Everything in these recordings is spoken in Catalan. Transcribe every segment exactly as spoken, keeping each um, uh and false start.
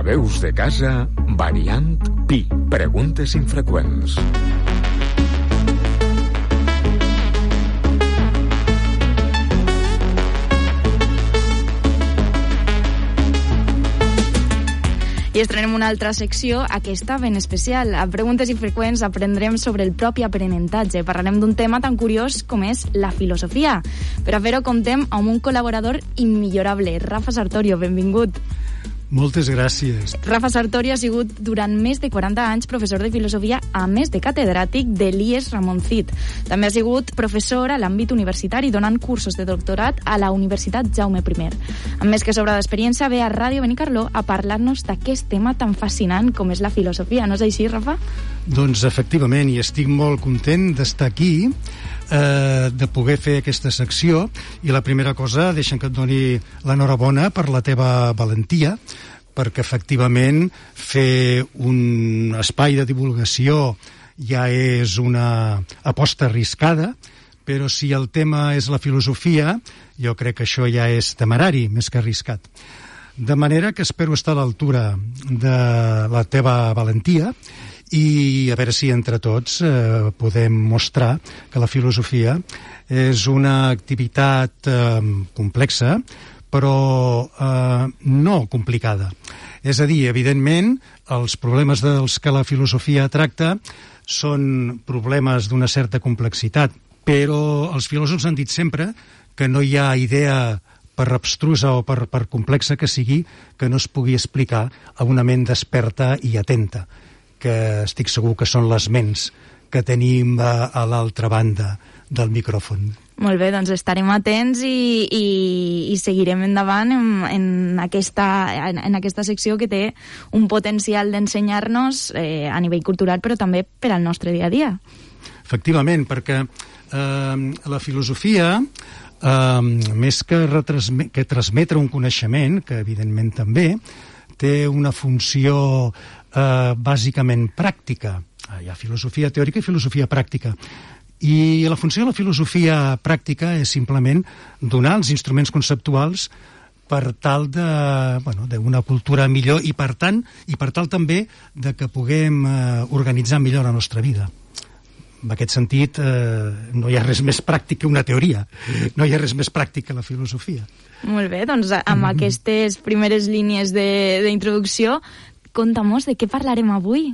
Veus de casa, variant Pi. Preguntes infreqüents. I estrenem una altra secció, aquesta ben especial. A Preguntes infreqüents aprendrem sobre el propi aprenentatge. Parlarem d'un tema tan curiós com és la filosofia. Per a fer-ho comptem amb un col·laborador immillorable, Rafa Sartorio. Benvingut. Moltes gràcies. Rafa Sartorio ha sigut durant més de quaranta anys professor de filosofia, a més de catedràtic de l'I E S Ramon Cid. També ha sigut professor a l'àmbit universitari, donant cursos de doctorat a la Universitat Jaume I. Amb més que sobra d'experiència, ve a Ràdio Benicarló a parlar-nos d'aquest tema tan fascinant com és la filosofia. No és així, Rafa? Doncs efectivament, i estic molt content d'estar aquí, eh, de poder fer aquesta secció, i la primera cosa, deixa'm que et doni l'enhorabona per la teva valentia, perquè efectivament fer un espai de divulgació ja és una aposta arriscada, però si el tema és la filosofia, jo crec que això ja és temerari, més que arriscat. De manera que espero estar a l'altura de la teva valentia i a veure si entre tots eh, podem mostrar que la filosofia és una activitat eh, complexa, però eh, no complicada. És a dir, evidentment, els problemes dels que la filosofia tracta són problemes d'una certa complexitat, però els filòsofs han dit sempre que no hi ha idea, per abstrusa o per, per complexa que sigui, que no es pugui explicar a una ment desperta i atenta, que estic segur que són les ments que tenim a, a l'altra banda del micròfon. Molt bé, doncs estarem atents i, i, i seguirem endavant en, en, aquesta, en, en aquesta secció que té un potencial d'ensenyar-nos eh, a nivell cultural, però també per al nostre dia a dia. Efectivament, perquè eh, la filosofia, eh, més que, que transmetre un coneixement, que evidentment també, té una funció eh, bàsicament pràctica. Hi ha filosofia teòrica i filosofia pràctica. I la funció de la filosofia pràctica és simplement donar els instruments conceptuals per tal de, bueno, d'una cultura millor i per tant, i per tal també de que puguem eh, organitzar millor la nostra vida. En aquest sentit, eh, no hi ha res més pràctic que una teoria. No hi ha res més pràctic que la filosofia. Molt bé, doncs amb mm-hmm. aquestes primeres línies d'introducció, conta'm-nos de què parlarem avui.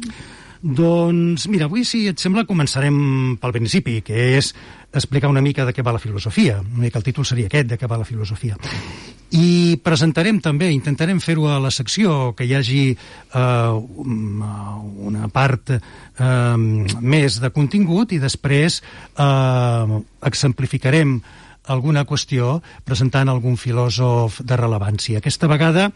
Doncs, mira, avui, si et sembla, començarem pel principi, que és explicar una mica de què va la filosofia. Una mica el títol seria aquest, de què va la filosofia. I presentarem també, intentarem fer-ho a la secció, que hi hagi eh, una part eh, més de contingut i després eh, exemplificarem alguna qüestió presentant algun filòsof de rellevància. Aquesta vegada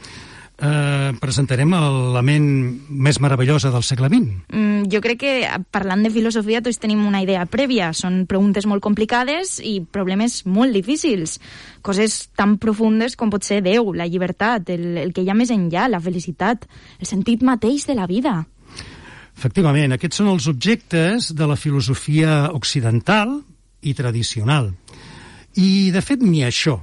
Eh, presentarem la ment més meravellosa del segle vint. Mm, jo crec que parlant de filosofia tots tenim una idea prèvia. Són preguntes molt complicades i problemes molt difícils. Coses tan profundes com pot ser Déu, la llibertat, el, el que hi ha més enllà, la felicitat, el sentit mateix de la vida. Efectivament, aquests són els objectes de la filosofia occidental i tradicional. I, de fet, ni això.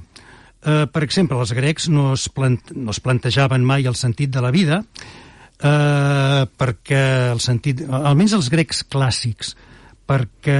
Uh, per exemple, els grecs no es, plant no es plantejaven mai el sentit de la vida, uh, perquè el sentit, almenys els grecs clàssics, perquè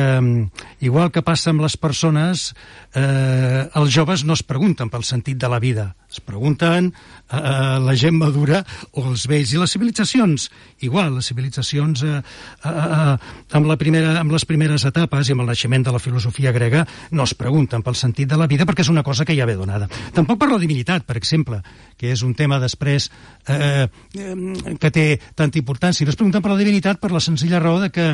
igual que passa amb les persones, eh, els joves no es pregunten pel sentit de la vida, es pregunten eh, la gent madura o els vells. I les civilitzacions, igual, les civilitzacions eh, eh, amb, la primera, amb les primeres etapes i amb el naixement de la filosofia grega no es pregunten pel sentit de la vida perquè és una cosa que ja ve donada. Tampoc per la divinitat, per exemple, que és un tema després eh, que té tanta importància. No es pregunten per la divinitat per la senzilla raó de que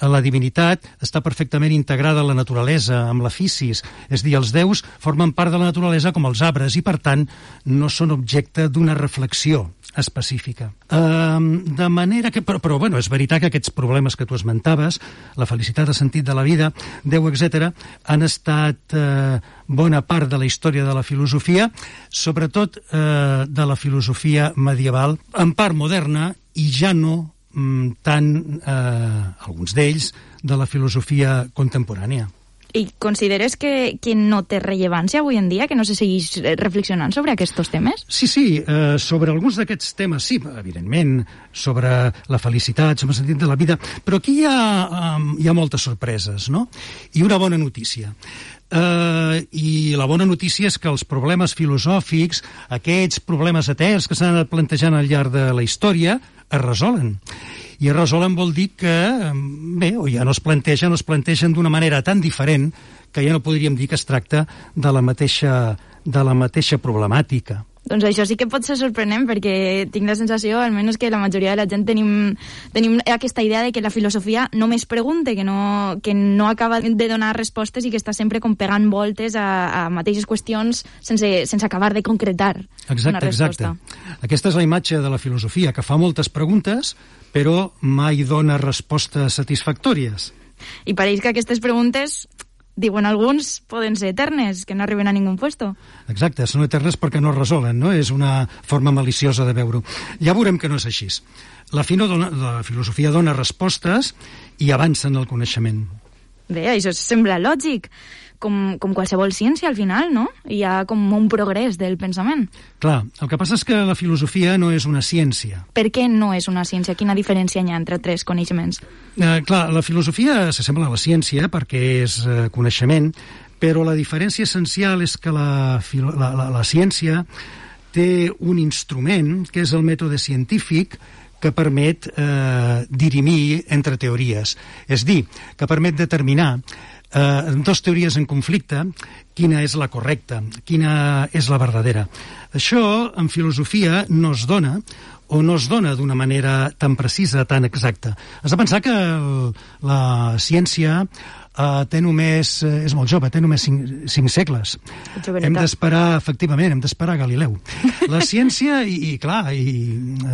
la divinitat està perfectament integrada a la naturalesa, amb la fisis, és a dir, els déus formen part de la naturalesa com els arbres i, per tant, no són objecte d'una reflexió específica. Um, de manera que... Però, però, bueno, és veritat que aquests problemes que tu esmentaves, la felicitat, el sentit de la vida, Déu, etcètera, han estat eh, bona part de la història de la filosofia, sobretot eh, de la filosofia medieval, en part moderna, i ja no mm, tant, eh, alguns d'ells, de la filosofia contemporània. I consideres que, que no té rellevància avui en dia, que no se seguís reflexionant sobre aquests temes? Sí, sí, eh, sobre alguns d'aquests temes, sí, evidentment, sobre la felicitat, sobre el sentit de la vida, però aquí hi ha, um, hi ha moltes sorpreses, no? I una bona notícia. Uh, I la bona notícia és que els problemes filosòfics, aquests problemes eterns que s'han anat plantejant al llarg de la història, es resolen. I es resolen vol dir que, bé, o ja no es plantegen, o es plantegen d'una manera tan diferent que ja no podríem dir que es tracta de la mateixa, de la mateixa problemàtica. Doncs això sí que pot ser sorprenent, perquè tinc la sensació, almenys que la majoria de la gent tenim, tenim aquesta idea de que la filosofia només pregunta, que no, que no acaba de donar respostes i que està sempre com pegant voltes a, a mateixes qüestions sense, sense acabar de concretar exacte, una resposta. Exacte. Aquesta és la imatge de la filosofia, que fa moltes preguntes, però mai dona respostes satisfactòries. I pareix que aquestes preguntes, diuen alguns, poden ser eternes, que no arriben a ningú puesto. Exacte, són eternes perquè no es resolen, no? És una forma maliciosa de veure-ho. Ja veurem que no és així. La, dona, la filosofia dona respostes i avança en el coneixement. Bé, això sembla lògic, com, com qualsevol ciència al final, no? Hi ha com un progrés del pensament. Clar, el que passa és que la filosofia no és una ciència. Per què no és una ciència? Quina diferència hi ha entre tres coneixements? Eh, clar, la filosofia s'assembla a la ciència perquè és eh, coneixement, però la diferència essencial és que la, la, la, la ciència té un instrument, que és el mètode científic, que permet eh, dirimir entre teories. És dir, que permet determinar eh, dos teories en conflicte, quina és la correcta, quina és la verdadera. Això, en filosofia, no es dona, o no es dona d'una manera tan precisa, tan exacta. Has de pensar que el, la ciència Uh, té només, uh, és molt jove, té només cinc, cinc segles. Hem d'esperar, efectivament, hem d'esperar Galileu. La ciència, i, i clar, i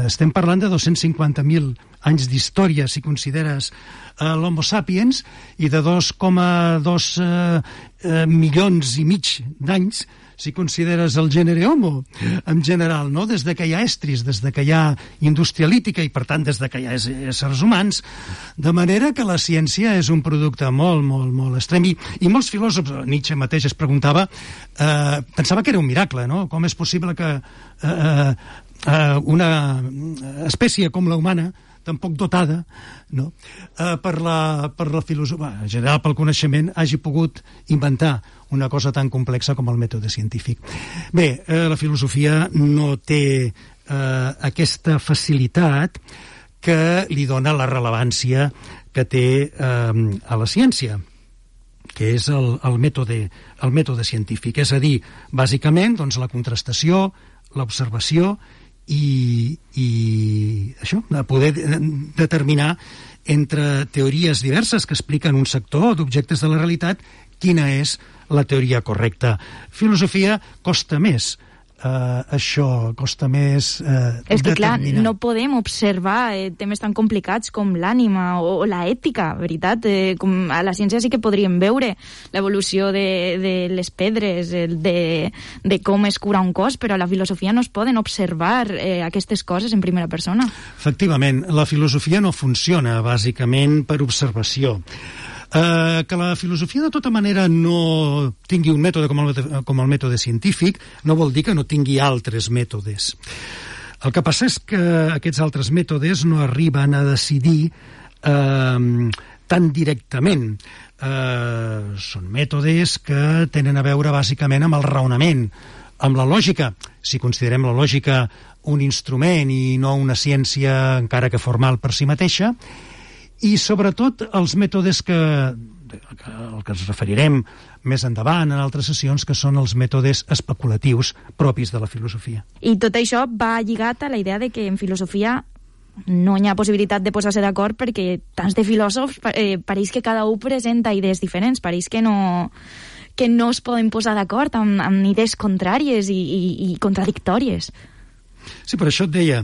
estem parlant de dos-cents cinquanta mil anys d'història, si consideres uh, l'Homo sapiens, i de dos coma dos uh, uh, milions i mig d'anys, si consideres el gènere Homo, en general, no? Des de que hi ha estris, des de que hi ha indústria lítica i, per tant, des de que hi ha éssers humans, de manera que la ciència és un producte molt, molt, molt extrem. I, i molts filòsofs, Nietzsche mateix es preguntava, eh, pensava que era un miracle, no? Com és possible que eh, eh, una espècie com la humana, tan poc dotada, no? eh, per la, per la filosofia, en general pel coneixement, hagi pogut inventar una cosa tan complexa com el mètode científic. Bé, eh, la filosofia no té eh, aquesta facilitat que li dona la rellevància que té eh, a la ciència, que és el, el, mètode, el mètode científic. És a dir, bàsicament, doncs, la contrastació, l'observació i, i això, poder determinar entre teories diverses que expliquen un sector d'objectes de la realitat quina és la teoria correcta. Filosofia costa més. Uh, això costa més uh, és que clar, determinar. No podem observar eh, temes tan complicats com l'ànima o, o la ètica, veritat, eh, com a la ciència sí que podríem veure l'evolució de, de les pedres, el de, de com es cura un cos, però a la filosofia no es poden observar eh, aquestes coses en primera persona. Efectivament, la filosofia no funciona bàsicament per observació. Uh, que la filosofia de tota manera no tingui un mètode com el, com el mètode científic no vol dir que no tingui altres mètodes. El que passa és que aquests altres mètodes no arriben a decidir uh, tan directament. Uh, són mètodes que tenen a veure bàsicament amb el raonament, amb la lògica, si considerem la lògica un instrument i no una ciència encara que formal per si mateixa, i sobretot els mètodes que, al que ens referirem més endavant en altres sessions, que són els mètodes especulatius propis de la filosofia. I tot això va lligat a la idea de que en filosofia no hi ha possibilitat de posar-se d'acord perquè tants de filòsofs eh, pareix que cada un presenta idees diferents, pareix que no, que no es poden posar d'acord amb, amb idees contràries i, i, i contradictòries. Sí, per això et deia.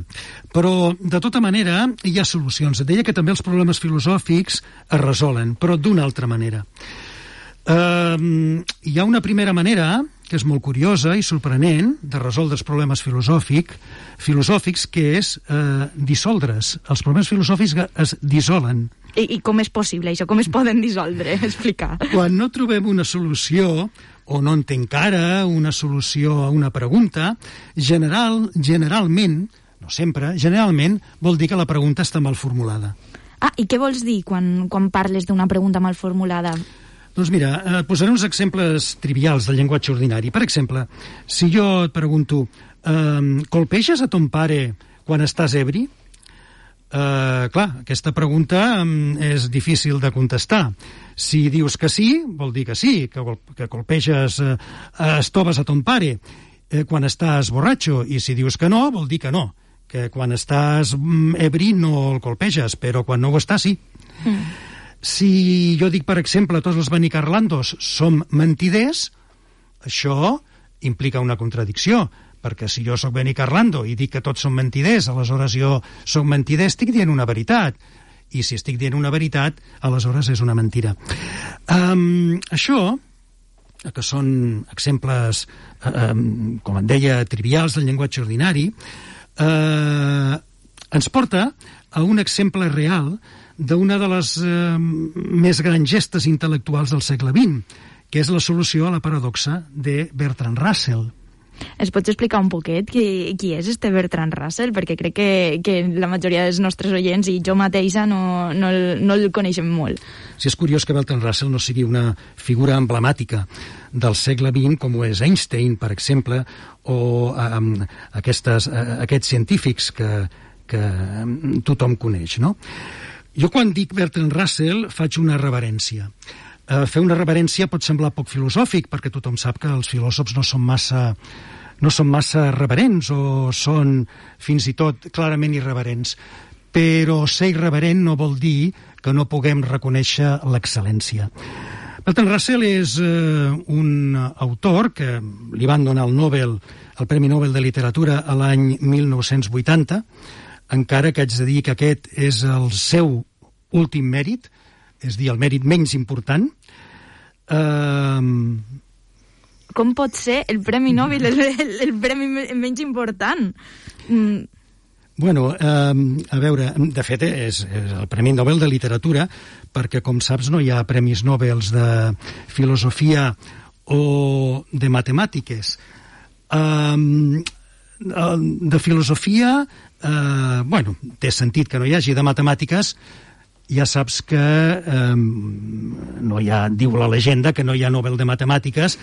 Però, de tota manera, hi ha solucions. Et deia que també els problemes filosòfics es resolen, però d'una altra manera. Uh, hi ha una primera manera que és molt curiosa i sorprenent de resoldre els problemes filosòfic, filosòfics, que és eh, dissoldre's. Els problemes filosòfics es dissolen. I, I com és possible això? Com es poden dissoldre? Explicar. Quan no trobem una solució o no en té encara una solució a una pregunta, general, generalment, no sempre, generalment vol dir que la pregunta està mal formulada. Ah, i què vols dir quan, quan parles d'una pregunta mal formulada? Doncs mira, et posaré uns exemples trivials del llenguatge ordinari. Per exemple, si jo et pregunto, eh, colpeges a ton pare quan estàs ebri? Uh, clar, aquesta pregunta um, és difícil de contestar. Si dius que sí, vol dir que sí, que, que colpeges, uh, estoves a ton pare uh, quan estàs borratxo, i si dius que no, vol dir que no, que quan estàs um, ebri no el colpeges, però quan no ho estàs, sí. Mm. Si jo dic, per exemple, tots els benicarlandos som mentiders, això implica una contradicció, perquè si jo sóc benicarlando i dic que tots són mentiders, aleshores jo sóc mentider, estic dient una veritat. I si estic dient una veritat, aleshores és una mentira. Um, això, que són exemples, um, com et deia, trivials del llenguatge ordinari, uh, ens porta a un exemple real d'una de les uh, més grans gestes intel·lectuals del segle vint, que és la solució a la paradoxa de Bertrand Russell. Ens pots explicar un poquet qui, qui és este Bertrand Russell? Perquè crec que, que la majoria dels nostres oients i jo mateixa no, no, el, no el coneixem molt. Sí, és curiós que Bertrand Russell no sigui una figura emblemàtica del segle vint, com ho és Einstein, per exemple, o um, aquestes, uh, aquests científics que, que um, tothom coneix, no? Jo quan dic Bertrand Russell faig una reverència. Uh, fer una reverència pot semblar poc filosòfic, perquè tothom sap que els filòsofs no són massa, no són massa reverents o són fins i tot clarament irreverents. Però ser irreverent no vol dir que no puguem reconèixer l'excel·lència. Bertrand Russell és uh, un autor que li van donar el Nobel, el Premi Nobel de Literatura a l'any mil nou-cents vuitanta, encara que haig de dir que aquest és el seu últim mèrit, és dir, el mèrit menys important. Uh... Com pot ser el Premi Nobel el, el, el premi menys important? Mm. Bueno, uh, a veure, de fet és, és el Premi Nobel de Literatura, perquè, com saps, no hi ha premis Nobel de filosofia o de matemàtiques. Uh, de filosofia, uh, bueno, té sentit que no hi hagi, de matemàtiques, ja saps que eh, no hi ha, diu la llegenda que no hi ha Nobel de Matemàtiques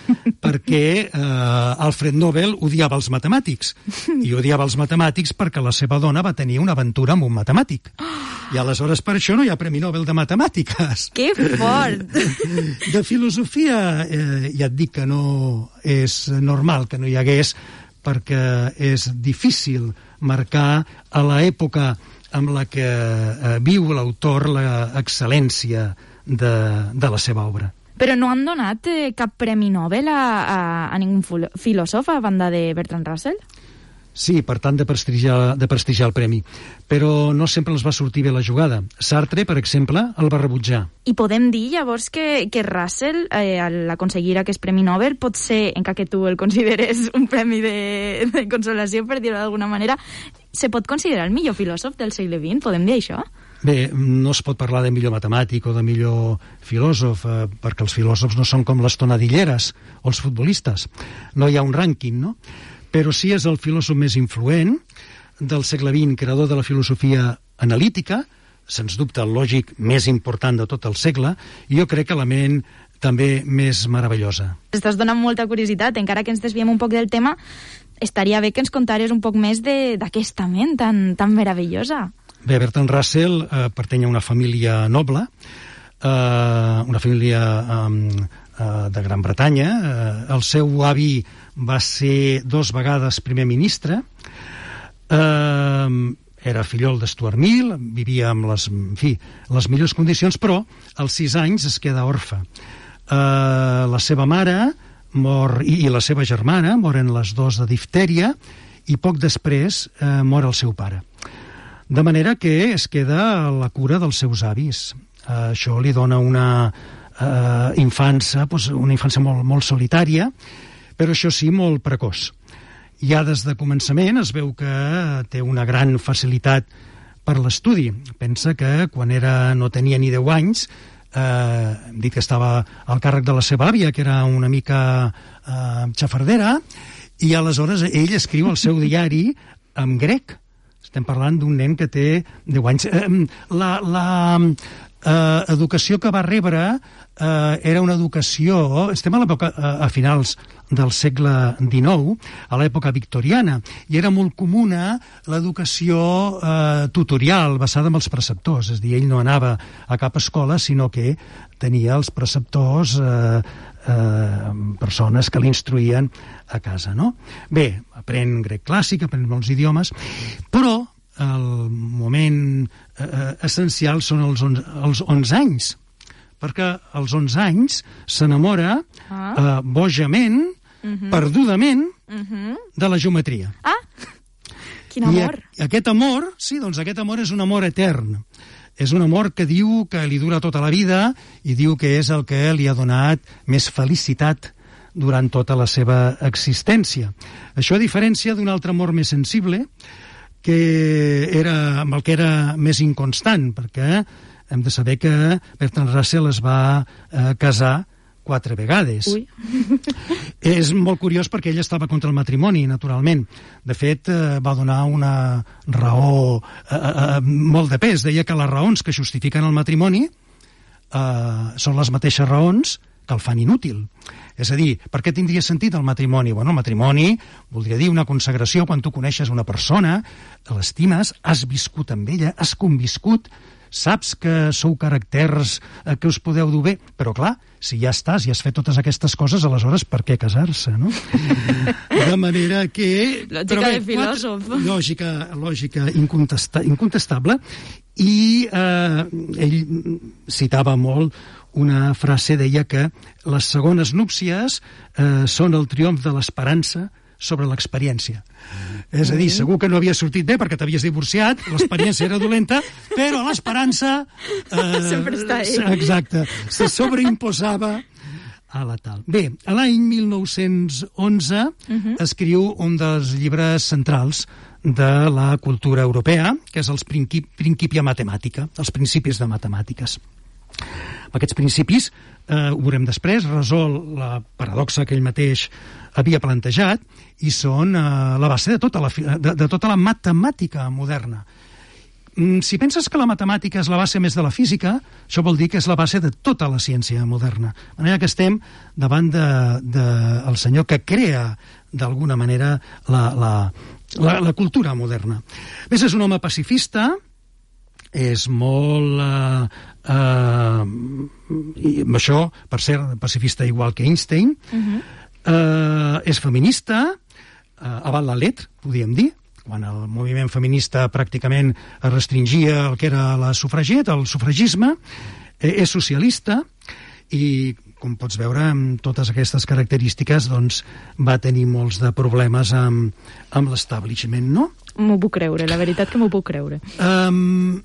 perquè eh, Alfred Nobel odiava els matemàtics, i odiava els matemàtics perquè la seva dona va tenir una aventura amb un matemàtic, i aleshores per això no hi ha Premi Nobel de Matemàtiques. Que fort! De filosofia eh, ja et dic que no és normal que no hi hagués, perquè és difícil marcar a l'època amb la que eh, viu l'autor l'excel·lència de, de la seva obra. Però no han donat eh, cap premi Nobel a, a, a ningú filòsof a banda de Bertrand Russell? Sí, per tant de prestigiar, de prestigiar el premi. Però no sempre els va sortir bé la jugada. Sartre, per exemple, el va rebutjar. I podem dir, llavors, que, que Russell, eh, al aconseguir aquest premi Nobel, pot ser, encara que tu el consideres un premi de, de consolació, per dir-ho d'alguna manera, se pot considerar el millor filòsof del segle vint? Podem dir això? Bé, no es pot parlar de millor matemàtic o de millor filòsof, eh, perquè els filòsofs no són com les tonadilleres o els futbolistes. No hi ha un rànquing, no? Però sí és el filòsof més influent del segle vint, creador de la filosofia analítica, sens dubte el lògic més important de tot el segle, i jo crec que la ment també més meravellosa. Estàs donant molta curiositat, encara que ens desviem un poc del tema, estaria bé que ens contares un poc més d'aquesta ment tan, tan meravellosa. Bé, Bertrand Russell eh, pertany a una família noble, eh, una família eh, de Gran Bretanya. Eh, el seu avi va ser dos vegades primer ministre, eh, era fillol de Stuart Mill, vivia amb les, en fi, les millors condicions, però als sis anys es queda orfe. Eh, la seva mare mor, i, i la seva germana moren les dos de diftèria, i poc després eh, mor el seu pare. De manera que es queda a la cura dels seus avis. Uh, això li dona una uh, infància, pues, una infància molt, molt solitària, però això sí, molt precoç. Ja des de començament es veu que té una gran facilitat per l'estudi. Pensa que quan era, no tenia ni deu anys, eh, hem dit que estava al càrrec de la seva àvia, que era una mica eh, xafardera, i aleshores ell escriu el seu diari en grec. Estem parlant d'un nen que té deu anys. Eh, la la eh, educació que va rebre eh, era una educació... Estem a l'època, a, a finals del segle dinou, a l'època victoriana, i era molt comuna l'educació eh, tutorial, basada en els preceptors. És a dir, ell no anava a cap escola, sinó que tenia els preceptors, eh, eh, persones que l'instruïen a casa, no? Bé, aprèn grec clàssic, aprèn molts idiomes, però el moment eh, essencial són els, on, els onze anys, perquè als onze anys s'enamora ah. eh, bojament, uh-huh. perdudament, uh-huh. de la geometria. Ah, quin amor! I a, aquest amor, sí, doncs aquest amor és un amor etern. És un amor que diu que li dura tota la vida i diu que és el que li ha donat més felicitat durant tota la seva existència. Això a diferència d'un altre amor més sensible, que era, amb el que era més inconstant, perquè hem de saber que Bertrand Russell es va eh, casar quatre vegades. Ui. És molt curiós perquè ell estava contra el matrimoni, naturalment. De fet, eh, va donar una raó eh, eh, molt de pes. Deia que les raons que justifiquen el matrimoni eh, són les mateixes raons que el fan inútil. És a dir, per què tindria sentit el matrimoni? Bueno, el matrimoni voldria dir una consagració quan tu coneixes una persona, l'estimes, has viscut amb ella, has conviscut, saps que sou caràcters eh, que us podeu dur bé, però clar, si ja estàs i has fet totes aquestes coses, aleshores per què casar-se, no? De manera que... Lògica bé, de filòsof. Quatre, lògica, lògica incontesta, incontestable, i eh, ell citava molt una frase, deia que les segones núpcies eh, són el triomf de l'esperança sobre l'experiència. És a dir, segur que no havia sortit bé perquè t'havies divorciat, l'experiència era dolenta, però l'esperança... Eh, sempre està ahí. Exacte, se sobreimposava a la tal. Bé, a l'any mil nou-cents onze uh-huh. escriu un dels llibres centrals de la cultura europea, que és els Principi, Principia Mathematica, els principis de matemàtiques. Aquests principis, eh, ho veurem després, resol la paradoxa que ell mateix havia plantejat i són eh, la base de tota la, de, de tota la matemàtica moderna. Mm, si penses que la matemàtica és la base més de la física, això vol dir que és la base de tota la ciència moderna. De manera que estem davant del de, de senyor que crea, d'alguna manera, la, la, la, la cultura moderna. A més, és un home pacifista, és molt... Eh, eh, i això, per ser pacifista igual que Einstein, uh-huh. eh, és feminista, eh, avant la lettre, podríem dir, quan el moviment feminista pràcticament es restringia el que era la sufragieta, el sufragisme, eh, és socialista i, com pots veure, amb totes aquestes característiques, doncs, va tenir molts de problemes amb, amb l'establishment, no? M'ho puc creure, la veritat que m'ho puc creure. Um,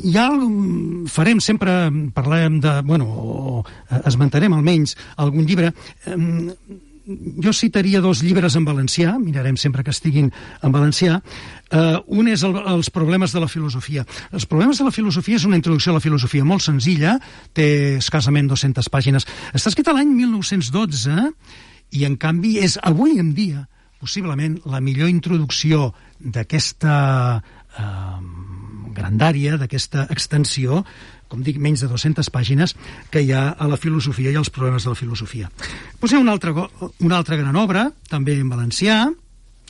ja farem sempre, parlem de, bueno, o esmentarem almenys algun llibre. Um, jo citaria dos llibres en valencià, mirarem sempre que estiguin en valencià. Uh, un és el, els problemes de la filosofia. Els problemes de la filosofia és una introducció a la filosofia molt senzilla, té escassament dues-centes pàgines. Està escrit l'any mil nou-cents dotze i, en canvi, és avui en dia possiblement la millor introducció d'aquesta eh, grandària, d'aquesta extensió, com dic, menys de dues-centes pàgines, que hi ha a la filosofia i als problemes de la filosofia. Pues hi ha una altra, una altra gran obra, també en valencià,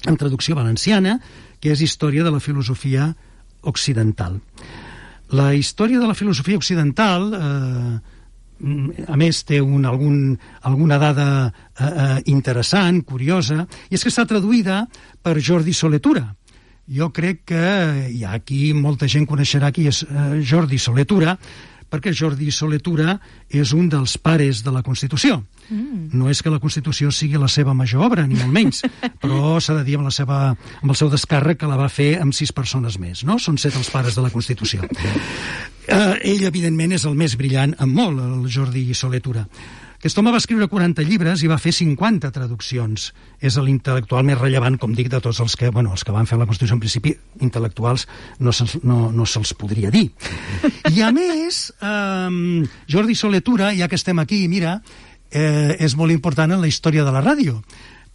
en traducció valenciana, que és Història de la filosofia occidental. La història de la filosofia occidental, eh, a més, té un, algun, alguna dada eh, eh, interessant, curiosa, i és que està traduïda per Jordi Soletura. Jo crec que hi ha aquí molta gent coneixerà qui és eh, Jordi Soletura, perquè Jordi Soletura és un dels pares de la Constitució. Mm. No és que la Constitució sigui la seva major obra, ni molt menys, però s'ha de dir amb, la seva, amb el seu descàrrec que la va fer amb sis persones més, no? Són set els pares de la Constitució. Eh, ell, evidentment, és el més brillant en molt, el Jordi Soletura. Aquest home va escriure quaranta llibres i va fer cinquanta traduccions. És l'intel·lectual més rellevant, com dic, de tots els que, bueno, els que van fer la Constitució, en principi, intel·lectuals no se'ls no, no se'ls podria dir. I a més, eh, Jordi Soler-Tura, ja que estem aquí, mira, eh, és molt important en la història de la ràdio,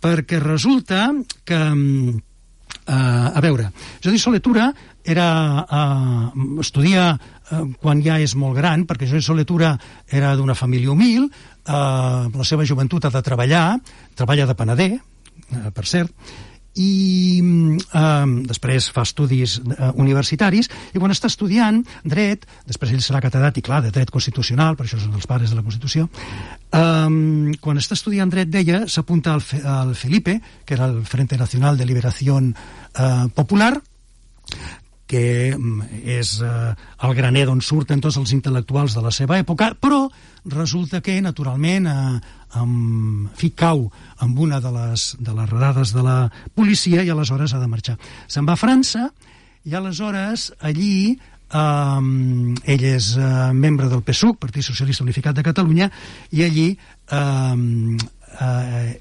perquè resulta que, eh, a veure, Jordi Soler-Tura era, eh, estudia eh, quan ja és molt gran, perquè Jordi Soler-Tura era d'una família humil, eh, la seva joventut ha de treballar, treballa de panader, eh, per cert, i eh, després fa estudis eh, universitaris, i quan està estudiant dret, després ell serà catedràtic, clar, de dret constitucional, per això són els pares de la Constitució, eh, quan està estudiant dret, deia, s'apunta al, al Felipe, que era el Frente Nacional de Liberación eh, Popular, que és eh, el graner d'on surten tots els intel·lectuals de la seva època, però resulta que, naturalment, eh, amb, fi, cau amb una de les, de les redades de la policia i aleshores ha de marxar. Se'n va a França i aleshores allí eh, ell és eh, membre del P S U C, Partit Socialista Unificat de Catalunya, i allí eh, eh,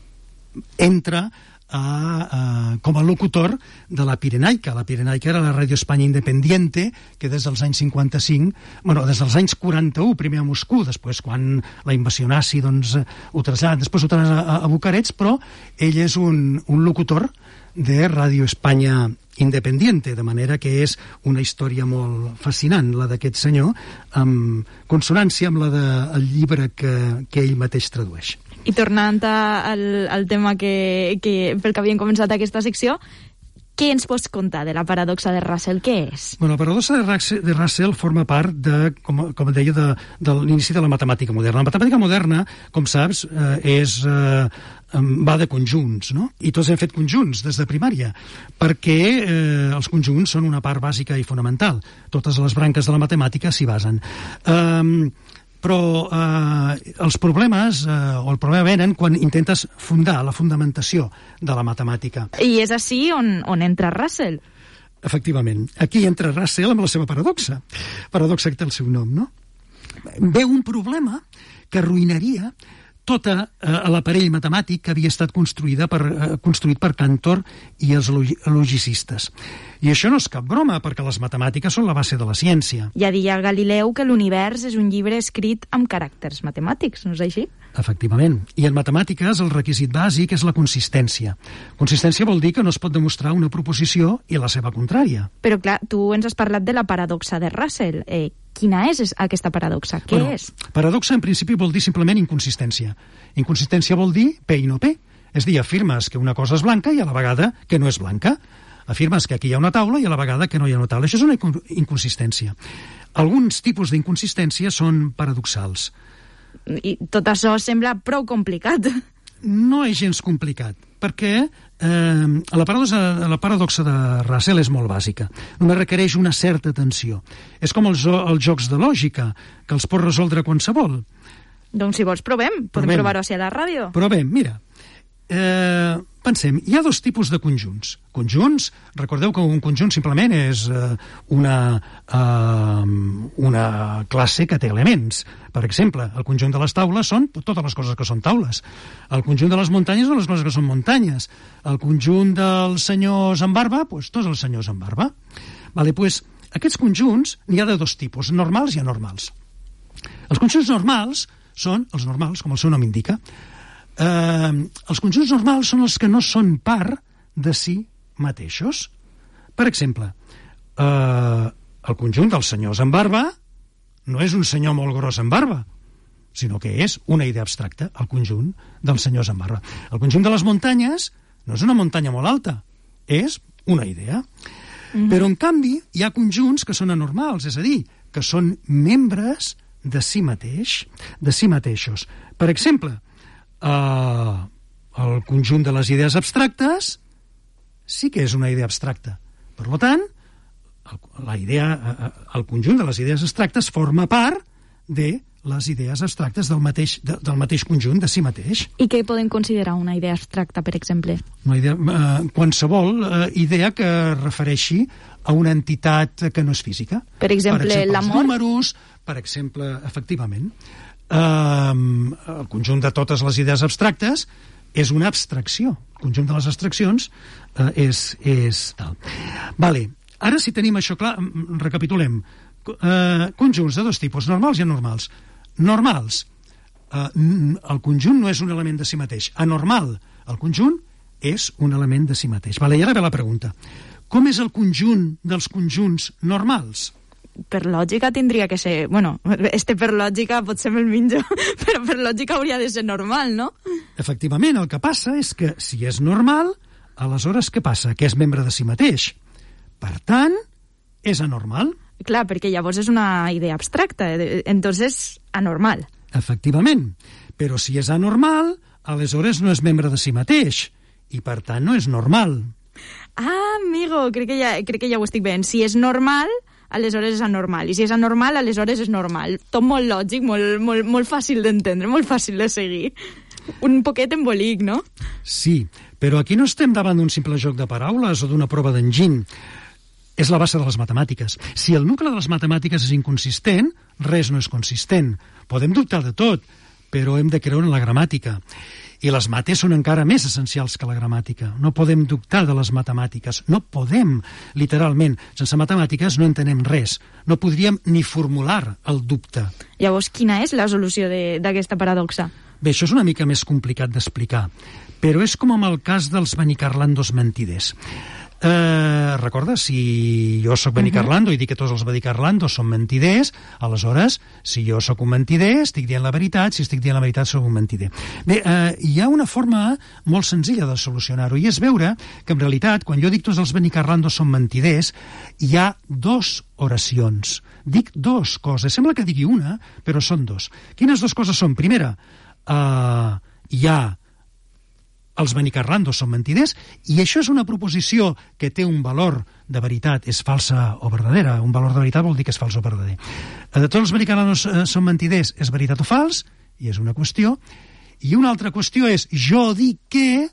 entra A, a, com a locutor de la Pirenaica. La Pirenaica era la Ràdio Espanya Independiente, que des dels anys cinquanta-cinc, bueno, des dels anys quaranta-u, primer a Moscou, després quan la invasió nazi, doncs, ho traslladen, després ho traslladen a, a Bucarest, però ell és un, un locutor de Ràdio Espanya Independiente, de manera que és una història molt fascinant, la d'aquest senyor, amb consonància amb la del llibre que, que ell mateix tradueix. I tornant al, al tema que, que, pel que havíem començat aquesta secció, què ens pots contar de la paradoxa de Russell? Què és? Bueno, la paradoxa de Russell, de Russell forma part de, com, com deia, de, de l'inici de la matemàtica moderna. La matemàtica moderna, com saps, eh, és, eh, va de conjunts, no? I tots hem fet conjunts des de primària, perquè eh, els conjunts són una part bàsica i fonamental. Totes les branques de la matemàtica s'hi basen. Eh, però eh, els problemes, eh, o el problema venen quan intentes fundar la fundamentació de la matemàtica. I és així on, on entra Russell. Efectivament. Aquí entra Russell amb la seva paradoxa. Paradoxa que té el seu nom, no? Veu un problema que arruïnaria tota eh, l'aparell matemàtic que havia estat construïda per, eh, construït per Cantor i els logicistes. I això no és cap broma, perquè les matemàtiques són la base de la ciència. Ja deia Galileu que l'univers és un llibre escrit amb caràcters matemàtics, no és així? Efectivament. I en matemàtiques el requisit bàsic és la consistència. Consistència vol dir que no es pot demostrar una proposició i la seva contrària. Però clar, tu ens has parlat de la paradoxa de Russell. Eh, quina és aquesta paradoxa? Què bueno, és? Paradoxa en principi vol dir simplement inconsistència. Inconsistència vol dir P i no P. És dir, afirmes que una cosa és blanca i a la vegada que no és blanca. Afirmes que aquí hi ha una taula i a la vegada que no hi ha una taula. Això és una inconsistència. Alguns tipus d'inconsistència són paradoxals. I tot això sembla prou complicat. No és gens complicat, perquè eh, la, paradoxa, la paradoxa de Russell és molt bàsica. Només requereix una certa atenció. És com els, els jocs de lògica, que els pot resoldre qualsevol. Doncs si vols provem, podem provem. provar-ho a la ràdio. Provem, mira. Eh, pensem, hi ha dos tipus de conjunts. Conjunts, recordeu que un conjunt simplement és eh, una, eh, una classe que té elements. Per exemple, el conjunt de les taules són totes les coses que són taules. El conjunt de les muntanyes són les coses que són muntanyes. El conjunt dels senyors amb barba, doncs tots els senyors amb barba. Vale, pues, aquests conjunts n'hi ha de dos tipus, normals i anormals. Els conjunts normals són els normals, com el seu nom indica. Eh, els conjunts normals són els que no són part de si mateixos. Per exemple, eh, el conjunt dels senyors amb barba no és un senyor molt gros amb barba, sinó que és una idea abstracta, el conjunt dels senyors amb barba. El conjunt de les muntanyes no és una muntanya molt alta, és una idea. Mm-hmm. Però, en canvi, hi ha conjunts que són anormals, és a dir, que són membres de si mateix, de si mateixos. Per exemple, Uh, el conjunt de les idees abstractes sí que és una idea abstracta. Per tant, el, la idea, el conjunt de les idees abstractes forma part de les idees abstractes del mateix, de, del mateix conjunt de si mateix. I què podem considerar una idea abstracta, per exemple? Una idea, uh, qualsevol uh, idea que refereixi a una entitat que no és física. Per exemple, per exemple l'amor? Els números, per exemple, efectivament. Um, el conjunt de totes les idees abstractes és una abstracció. El conjunt de les abstraccions uh, és, és tal. Vale. Ara, si tenim això clar, recapitulem. Uh, conjunts de dos tipus, normals i anormals. Normals. Uh, el conjunt no és un element de si mateix. Anormal. El conjunt és un element de si mateix. Vale, i ara ve la pregunta. Com és el conjunt dels conjunts normals? Per lògica tindria que ser... Bueno, este per lògica potser me'l minjo, però per lògica hauria de ser normal, no? Efectivament, el que passa és que si és normal, aleshores què passa? Que és membre de si mateix. Per tant, és anormal. Clar, perquè llavors és una idea abstracta, entonces anormal. Efectivament, però si és anormal, aleshores no és membre de si mateix, i per tant no és normal. Ah, amigo, crec que ja, crec que ja ho estic veient. Si és normal, aleshores és anormal, i si és anormal, aleshores és normal. Tot molt lògic, molt, molt, molt fàcil d'entendre, molt fàcil de seguir. Un poquet embolic, no? Sí, però aquí no estem davant d'un simple joc de paraules o d'una prova d'enginy. És la base de les matemàtiques. Si el nucli de les matemàtiques és inconsistent, res no és consistent. Podem dubtar de tot, però hem de creure en la gramàtica. I les mates són encara més essencials que la gramàtica. No podem dubtar de les matemàtiques. No podem, literalment. Sense matemàtiques no entenem res. No podríem ni formular el dubte. Llavors, quina és la solució d'aquesta paradoxa? Bé, això és una mica més complicat d'explicar, però és com amb el cas dels benicarlandos mentiders. Eh, recorda, si jo sóc benicarlando i dic que tots els benicarlandos són mentiders, aleshores, si jo sóc un mentider, estic dient la veritat, si estic dient la veritat, sóc un mentider. Bé, eh, hi ha una forma molt senzilla de solucionar-ho, i és veure que en realitat, quan jo dic tots els benicarlandos són mentiders, hi ha dos oracions. Dic dos coses, sembla que digui una, però són dos. Quines dues coses són? Primera, eh, hi ha els benicarlandos són mentiders, i això és una proposició que té un valor de veritat, és falsa o verdadera. Un valor de veritat vol dir que és fals o verdader. Eh, tots els benicarlandos eh, són mentiders, és veritat o fals, i és una qüestió. I una altra qüestió és, jo dic que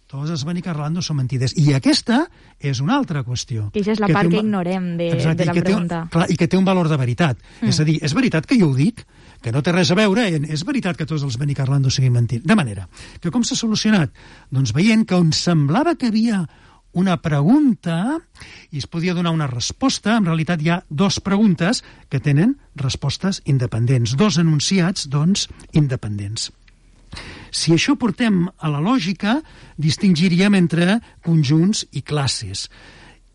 tots els benicarlandos són mentiders. I aquesta és una altra qüestió. Que això és la que part un... que ignorem de, Exacte, de la i pregunta. Té, clar, I que té un valor de veritat. Mm. És a dir, és veritat que jo ho dic, que no té res a veure, és veritat que tots els benicarlandos siguin mentits. De manera que com s'ha solucionat? Doncs veient que on semblava que havia una pregunta i es podia donar una resposta, en realitat hi ha dues preguntes que tenen respostes independents, dos enunciats, doncs, independents. Si això portem a la lògica, distingiríem entre conjunts i classes.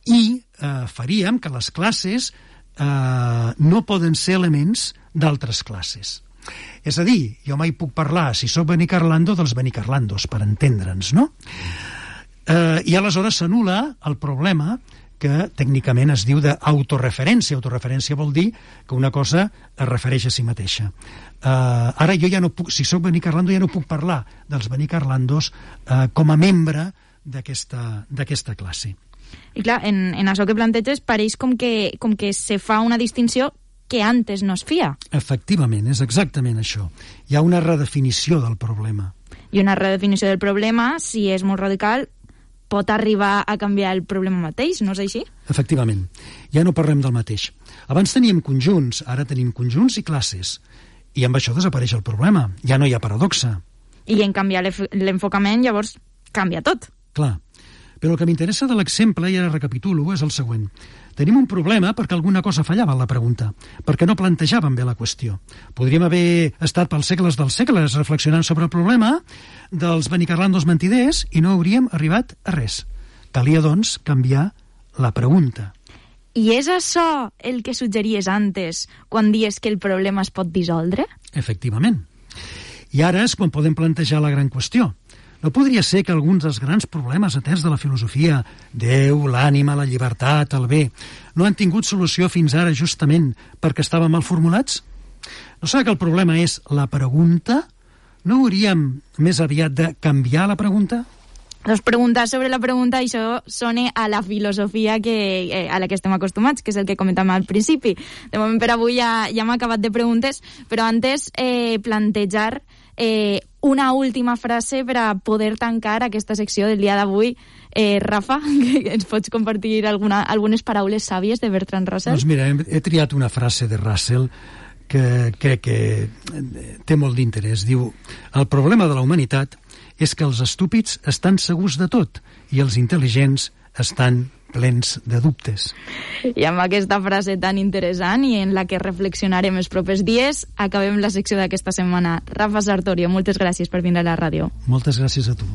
I eh, faríem que les classes eh, no poden ser elements d'altres classes. És a dir, jo mai puc parlar, si sóc benicarlando, dels benicarlandos, per entendre'ns, no? Eh, I aleshores s'anul·la el problema que tècnicament es diu d'autoreferència. Autoreferència vol dir que una cosa es refereix a si mateixa. Eh, ara jo ja no puc, si sóc benicarlando, ja no puc parlar dels benicarlandos eh, com a membre d'aquesta d'aquesta classe. I clar, en, en això que planteges pareix com que, com que se fa una distinció que antes no es feia. Efectivament, és exactament això. Hi ha una redefinició del problema. I una redefinició del problema, si és molt radical, pot arribar a canviar el problema mateix, no és així? Efectivament. Ja no parlem del mateix. Abans teníem conjunts, ara tenim conjunts i classes. I amb això desapareix el problema. Ja no hi ha paradoxa. I en canviar l'enfocament, llavors, canvia tot. Clar. Però el que m'interessa de l'exemple, i ara recapitulo, és el següent. Tenim un problema perquè alguna cosa fallava en la pregunta, perquè no plantejàvem bé la qüestió. Podríem haver estat pels segles dels segles reflexionant sobre el problema dels benicarlandos mentiders i no hauríem arribat a res. Calia, doncs, canviar la pregunta. I és això el que suggeries antes, quan dies que el problema es pot dissoldre? Efectivament. I ara és quan podem plantejar la gran qüestió. No podria ser que alguns dels grans problemes aterns de la filosofia, Déu, l'ànima, la llibertat, el bé, no han tingut solució fins ara justament perquè estaven mal formulats? No serà que el problema és la pregunta? No hauríem més aviat de canviar la pregunta? Doncs preguntar sobre la pregunta, això sona a la filosofia que, eh, a la que estem acostumats, que és el que comentàvem al principi. De moment per avui ja, ja hem acabat de preguntes, però antes eh, plantejar eh, una última frase per a poder tancar aquesta secció del dia d'avui. Eh, Rafa, que ens pots compartir alguna, algunes paraules sàvies de Bertrand Russell? Doncs mira, he, he triat una frase de Russell que crec que té molt d'interès. Diu, el problema de la humanitat és que els estúpids estan segurs de tot i els intel·ligents estan plens de dubtes. I amb aquesta frase tan interessant i en la que reflexionarem els propers dies, acabem la secció d'aquesta setmana. Rafa Sartorio, moltes gràcies per vindre a la ràdio. Moltes gràcies a tu.